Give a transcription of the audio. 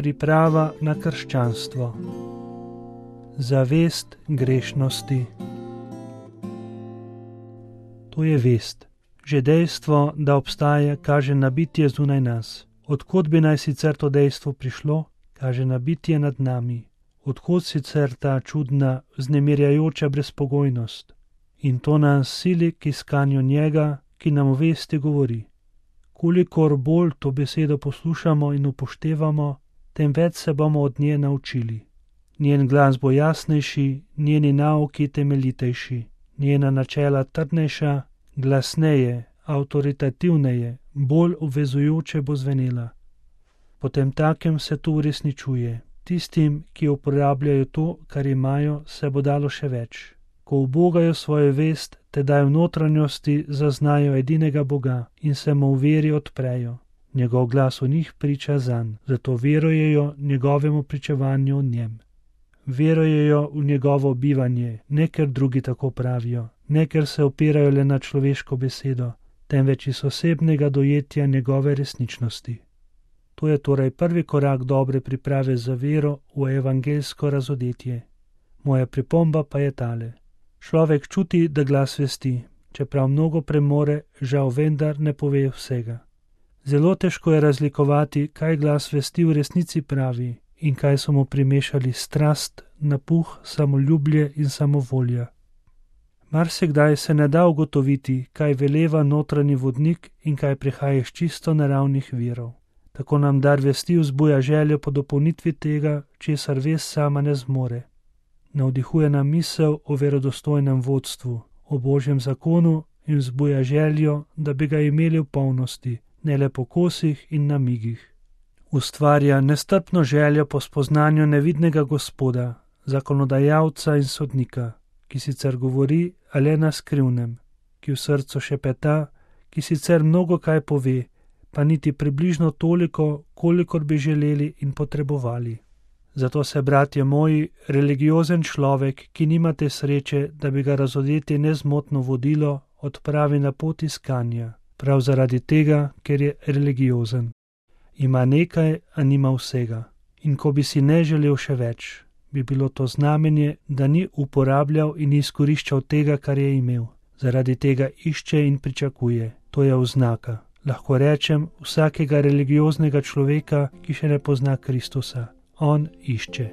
priprava na krščanstvo. Zavest grešnosti. To je vest. Že dejstvo, da obstaja, kaže na bitje zunaj nas. Odkot bi naj sicer to dejstvo prišlo, kaže na bitje nad nami. Odkot sicer ta čudna, vznemirjajoča brezpogojnost. In to nas sili k iskanju njega, ki nam v vesti govori. Kolikor bolj to besedo poslušamo in upoštevamo, tem več se bomo od nje naučili. Njen glas bo jasnejši, njeni nauki temeljitejši, njena načela trdnejša, glasneje, avtoritativneje, bolj obvezujoče bo zvenela. Potem takem se to uresničuje. Tistim, ki uporabljajo to, kar imajo, se bo dalo še več. Ko ubogajo svojo vest, tedaj v notranjosti zaznajo edinega Boga in se mu v veri odprejo. Njegov glas v njih priča zanj, zato verujejo njegovemu pričevanju o njem. Verujejo v njegovo bivanje, ne ker drugi tako pravijo, ne ker se opirajo le na človeško besedo, temveč iz osebnega dojetja njegove resničnosti. To je torej prvi korak dobre priprave za vero v evangeljsko razodetje. Moja pripomba pa je tale. Človek čuti, da glas vesti, čeprav mnogo premore, žal vendar ne pove vsega. Zelo težko je razlikovati, kaj glas vesti v resnici pravi in kaj so mu primešali strast, napuh, samoljublje in samovolja. Marsikdaj se ne da ugotoviti, kaj veleva notranji vodnik in kaj prihaja iz čisto naravnih virov. Tako nam dar vesti vzbuja željo po dopolnitvi tega, česar vest sama ne zmore. Navdihuje nam misel o verodostojnem vodstvu, o Božjem zakonu in vzbuja željo, da bi ga imeli v polnosti, ne le po kosih in namigih. Ustvarja nestrpno željo po spoznanju nevidnega Gospoda, zakonodajalca in sodnika, ki sicer govori, a le na skrivnem, ki v srcu šepeta, ki sicer mnogo kaj pove, pa niti približno toliko, kolikor bi želeli in potrebovali. Zato se, bratje moji, religiozen človek, ki nima te sreče, da bi ga razodetje nezmotno vodilo, odpravi na pot iskanja, prav zaradi tega, ker je religiozen. Ima nekaj, a nima vsega. In ko bi si ne želel še več, bi bilo to znamenje, da ni uporabljal in izkoriščal tega, kar je imel. Zaradi tega išče in pričakuje. To je oznaka. Lahko rečem, vsakega religioznega človeka, ki še ne pozna Kristusa. On išče.